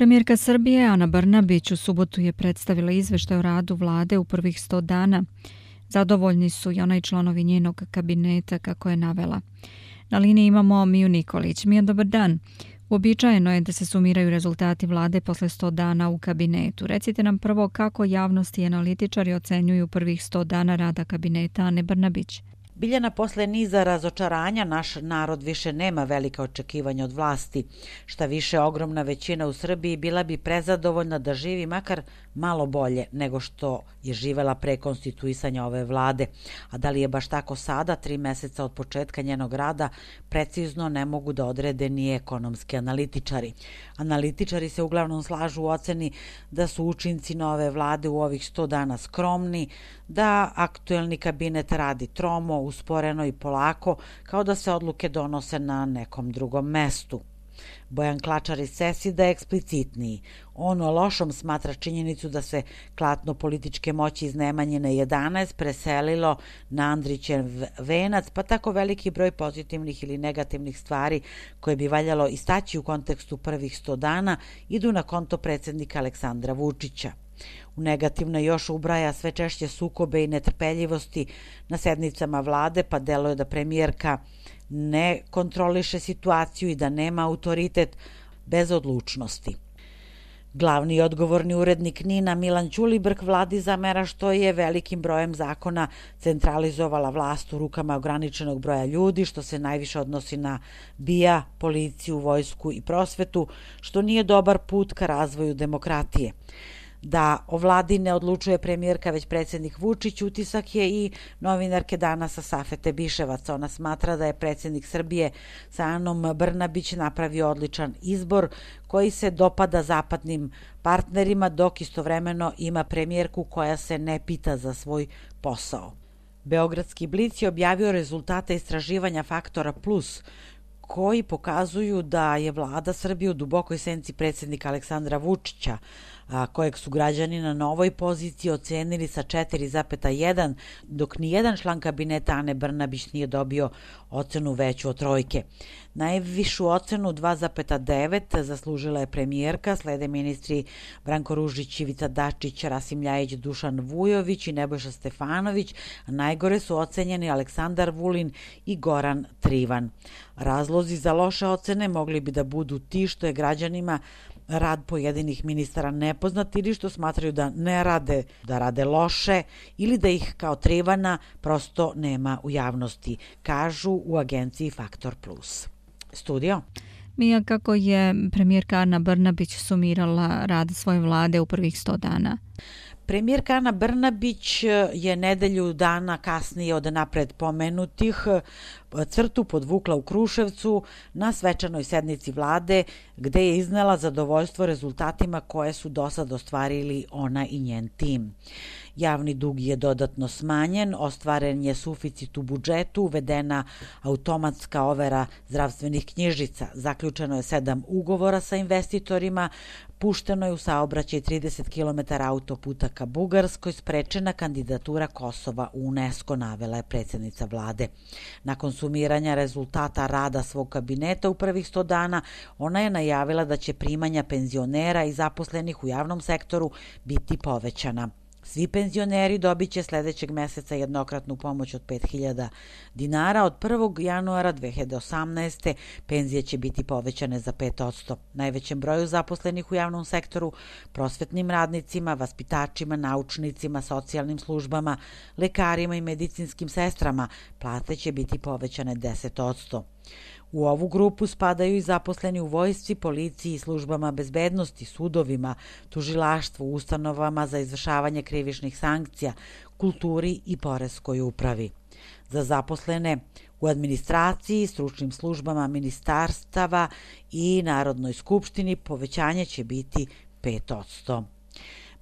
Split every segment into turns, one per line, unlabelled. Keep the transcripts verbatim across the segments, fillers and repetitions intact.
Premijerka Srbije Ana Brnabić u subotu je predstavila izveštaj o radu vlade u prvih sto dana. Zadovoljni su i ona i članovi njenog kabineta, kako je navela. Na liniji imamo Miju Nikolić. Mija, dobar dan. Uobičajeno je da se sumiraju rezultati vlade posle sto dana u kabinetu. Recite nam prvo kako javnost i analitičari ocenjuju prvih sto dana rada kabineta Ane Brnabić.
Biljana, posle niza razočaranja naš narod više nema velika očekivanja od vlasti. Šta više, ogromna većina u Srbiji bila bi prezadovoljna da živi makar malo bolje nego što je živela pre konstituisanja ove vlade. A da li je baš tako sada, tri meseca od početka njenog rada, precizno ne mogu da odrede ni ekonomski analitičari. Analitičari se uglavnom slažu u oceni da su učinci nove vlade u ovih sto dana skromni, da aktuelni kabinet radi tromo, usporeno i polako, kao da se odluke donose na nekom drugom mestu. Bojan Klačar iz Sesida je eksplicitniji. On o lošom smatra činjenicu da se klatno političke moći iz Nemanjine jedanaest preselilo na Andrićev venac, pa tako veliki broj pozitivnih ili negativnih stvari koje bi valjalo istaći u kontekstu prvih sto dana idu na konto predsjednika Aleksandra Vučića. U negativno još ubraja sve češće sukobe i netrpeljivosti na sednicama vlade, pa deluje da premijerka ne kontroliše situaciju i da nema autoritet bez odlučnosti. Glavni i odgovorni urednik NIN-a Milan Ćulibrk vladi zamera što je velikim brojem zakona centralizovala vlast u rukama ograničenog broja ljudi, što se najviše odnosi na B I A, policiju, vojsku i prosvetu, što nije dobar put ka razvoju demokratije. Da o vladi ne odlučuje premijerka već predsjednik Vučić, utisak je i novinarke Danasa Safete Biševac. Ona smatra da je predsjednik Srbije sa Anom Brnabić napravio odličan izbor koji se dopada zapadnim partnerima, dok istovremeno ima premijerku koja se ne pita za svoj posao. Beogradski Blic je objavio rezultate istraživanja Faktora Plus, koji pokazuju da je vlada Srbije u dubokoj senci predsjednika Aleksandra Vučića, a kojeg su građani na novoj poziciji ocenili sa četiri zarez jedan, dok nijedan član kabineta Ane Brnabić nije dobio ocenu veću od trojke. Najvišu ocenu dva zarez devet zaslužila je premijerka, slede ministri Branko Ružić, Ivica Dačić, Rasim Ljajić, Dušan Vujović i Nebojša Stefanović, a najgore su ocenjeni Aleksandar Vulin i Goran Trivan. Razlozi za loše ocene mogli bi da budu ti što je građanima rad pojedinih ministara nepoznat ili što smatraju da ne rade, da rade loše ili da ih kao Trivana prosto nema u javnosti, kažu u agenciji Faktor Plus. Studio.
Mija, kako je premijerka Ana Brnabić sumirala rad svoje vlade u prvih sto dana?
Premijerka Ana Brnabić je nedelju dana kasnije od napred pomenutih crtu podvukla u Kruševcu na svečanoj sednici vlade, gde je iznela zadovoljstvo rezultatima koje su do sad ostvarili ona i njen tim. Javni dug je dodatno smanjen, ostvaren je suficit u budžetu, uvedena automatska overa zdravstvenih knjižica, zaključeno je sedam ugovora sa investitorima, pušteno je u saobraćaj trideset kilometara autoputa ka Bugarskoj, sprečena kandidatura Kosova u UNESCO, navela je predsjednica vlade. Nakon sumiranja rezultata rada svog kabineta u prvih sto dana, ona je najavila da će primanja penzionera i zaposlenih u javnom sektoru biti povećana. Svi penzioneri dobit će sledećeg meseca jednokratnu pomoć od pet hiljada dinara. Od prvog januara dve hiljade osamnaeste. penzije će biti povećane za pet posto. Najvećem broju zaposlenih u javnom sektoru, prosvetnim radnicima, vaspitačima, naučnicima, socijalnim službama, lekarima i medicinskim sestrama, plate će biti povećane deset posto. U ovu grupu spadaju i zaposleni u vojsci, policiji, službama bezbednosti, sudovima, tužilaštvu, ustanovama za izvršavanje krivičnih sankcija, kulturi i poreskoj upravi. Za zaposlene u administraciji, stručnim službama ministarstava i Narodnoj skupštini povećanje će biti pet posto.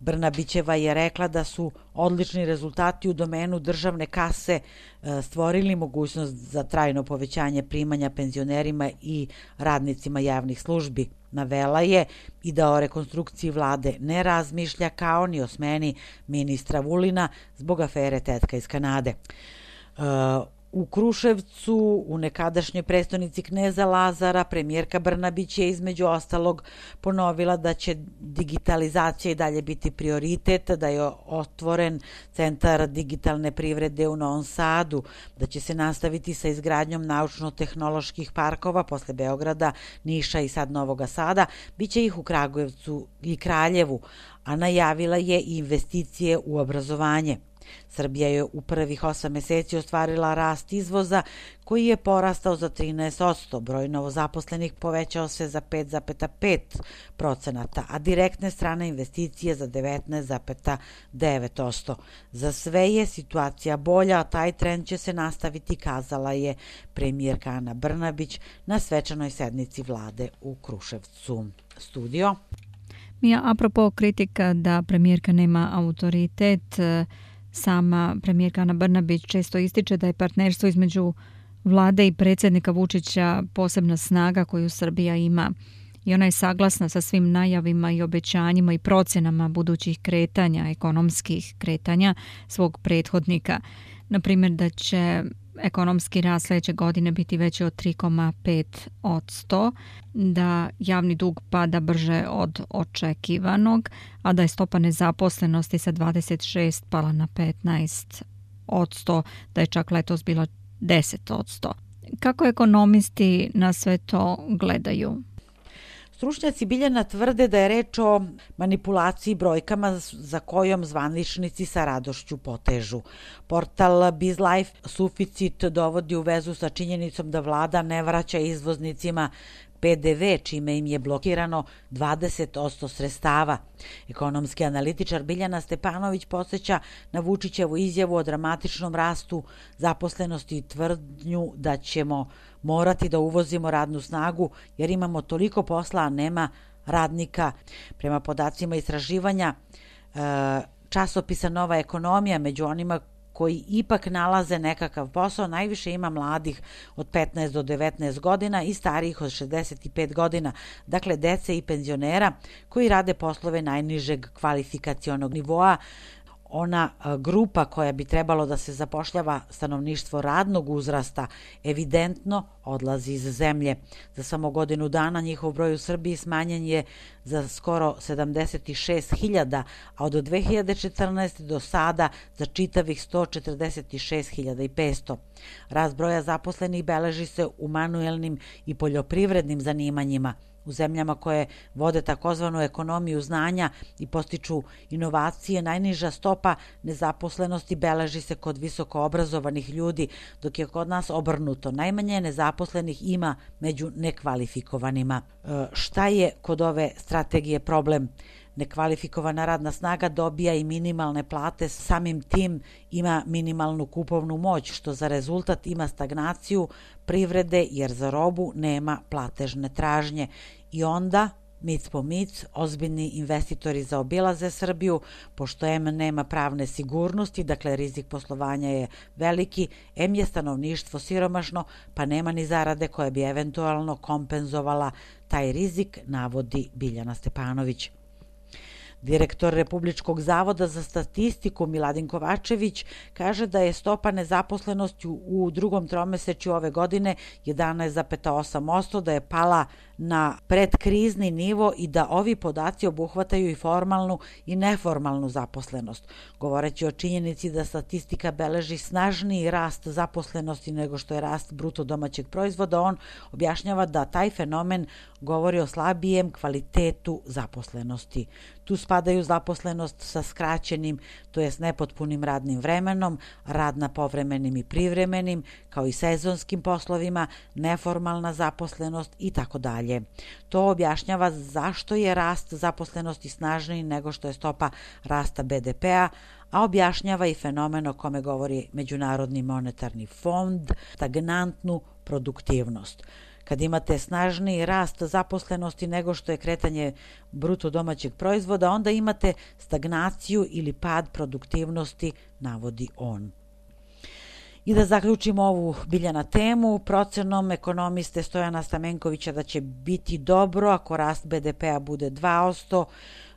Brnabićeva je rekla da su odlični rezultati u domenu državne kase stvorili mogućnost za trajno povećanje primanja penzionerima i radnicima javnih službi. Navela je i da o rekonstrukciji vlade ne razmišlja kao ni o smeni ministra Vulina zbog afere Tetka iz Kanade. U Kruševcu, u nekadašnjoj prestonici kneza Lazara, premijerka Brnabić je između ostalog ponovila da će digitalizacija i dalje biti prioritet, da je otvoren centar digitalne privrede u Novom Sadu, da će se nastaviti sa izgradnjom naučno-tehnoloških parkova posle Beograda, Niša i sad Novoga Sada, biće ih u Kragujevcu i Kraljevu, a najavila je i investicije u obrazovanje. Srbija je u prvih osam meseci ostvarila rast izvoza koji je porastao za trinaest posto, broj novozaposlenih povećao se za pet zarez pet procenata, a direktne strane investicije za devetnaest zarez devet posto. Za sve je situacija bolja, a taj trend će se nastaviti, kazala je premijerka Ana Brnabić na svečanoj sednici vlade u Kruševcu. Studio.
Mija, apropo kritika da premijerka nema autoritet, sama premijerka Ana Brnabić često ističe da je partnerstvo između vlade i predsjednika Vučića posebna snaga koju Srbija ima i ona je saglasna sa svim najavima i obećanjima i procenama budućih kretanja, ekonomskih kretanja svog prethodnika. Na primjer da će ekonomski rast sljedeće godine biti veći od tri zarez pet posto, da javni dug pada brže od očekivanog, a da je stopa nezaposlenosti sa dvadeset šest pala na petnaest posto, da je čak letos bila deset posto. Kako ekonomisti na sve to gledaju?
Stručnjaci Biljana tvrde da je reč o manipulaciji brojkama za kojom zvaničnici sa radošću potežu. Portal BizLife suficit dovodi u vezu sa činjenicom da vlada ne vraća izvoznicima P D V, čime im je blokirano dvadeset posto sredstava. Ekonomski analitičar Biljana Stepanović podsjeća na Vučićevu izjavu o dramatičnom rastu zaposlenosti i tvrdnju da ćemo morati da uvozimo radnu snagu jer imamo toliko posla, a nema radnika. Prema podacima istraživanja časopisa Nova ekonomija, među onima koji ipak nalaze nekakav posao, najviše ima mladih od petnaest do devetnaest godina i starijih od šezdeset pet godina, dakle dece i penzionera koji rade poslove najnižeg kvalifikacionog nivoa. Ona grupa koja bi trebalo da se zapošljava, stanovništvo radnog uzrasta, evidentno odlazi iz zemlje. Za samo godinu dana njihov broj u Srbiji smanjen je za skoro sedamdeset šest hiljada, a od dve hiljade četrnaeste. do sada za čitavih sto četrdeset šest hiljada petsto. Rast broja zaposlenih beleži se u manuelnim i poljoprivrednim zanimanjima. U zemljama koje vode takozvanu ekonomiju znanja i postiču inovacije, najniža stopa nezaposlenosti beleži se kod visoko obrazovanih ljudi, dok je kod nas obrnuto. Najmanje nezaposlenih ima među nekvalifikovanima. E, šta je kod ove strategije problem? Nekvalifikovana radna snaga dobija i minimalne plate, samim tim ima minimalnu kupovnu moć, što za rezultat ima stagnaciju privrede jer za robu nema platežne tražnje. I onda, mic po mic, ozbiljni investitori zaobilaze Srbiju, pošto em nema pravne sigurnosti, dakle rizik poslovanja je veliki, em je stanovništvo siromašno, pa nema ni zarade koja bi eventualno kompenzovala taj rizik, navodi Biljana Stepanović. Direktor Republičkog zavoda za statistiku Miladin Kovačević kaže da je stopa nezaposlenosti u drugom tromesečju ove godine jedanaest zarez osam posto, da je pala na predkrizni nivo i da ovi podaci obuhvataju i formalnu i neformalnu zaposlenost. Govoreći o činjenici da statistika beleži snažniji rast zaposlenosti nego što je rast bruto domaćeg proizvoda, on objašnjava da taj fenomen govori o slabijem kvalitetu zaposlenosti. Tu spadaju zaposlenost sa skraćenim, to jest nepotpunim radnim vremenom, rad na povremenim i privremenim, kao i sezonskim poslovima, neformalna zaposlenost i tako dalje. To objašnjava zašto je rast zaposlenosti snažniji nego što je stopa rasta B D P-a, a objašnjava i fenomen o kome govori Međunarodni monetarni fond, stagnantnu produktivnost. Kad imate snažniji rast zaposlenosti nego što je kretanje bruto domaćeg proizvoda, onda imate stagnaciju ili pad produktivnosti, navodi on. I da zaključimo ovu Biljana temu, procenom ekonomiste Stojana Stamenkovića da će biti dobro ako rast B D P-a bude dva posto,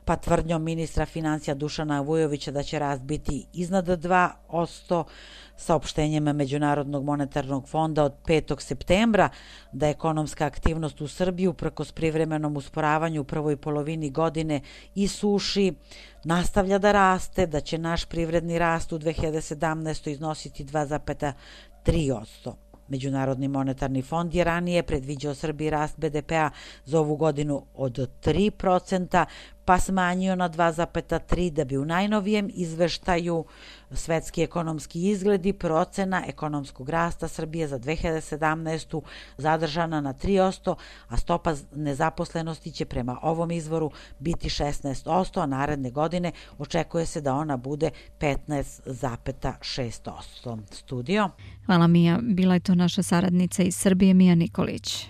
pa tvrdnjom ministra financija Dušana Vujovića da će rast biti iznad dva posto, saopštenjem Međunarodnog monetarnog fonda od petog septembra da ekonomska aktivnost u Srbiji uprkos privremenom usporavanju u prvoj polovini godine i suši nastavlja da raste, da će naš privredni rast u dve hiljade sedamnaestoj. iznositi dva zarez tri posto. Međunarodni monetarni fond je ranije predviđao Srbiji rast be de pea za ovu godinu od tri procenta, pa smanjio na dva zarez tri da bi u najnovijem izveštaju Svetski ekonomski izgledi procena ekonomskog rasta Srbije za dve hiljade sedamnaestu. zadržana na tri posto, a stopa nezaposlenosti će prema ovom izvoru biti šesnaest posto, a naredne godine očekuje se da ona bude petnaest zarez šest posto. Studio.
Hvala Mija, bila je to naša saradnica iz Srbije Mija Nikolić.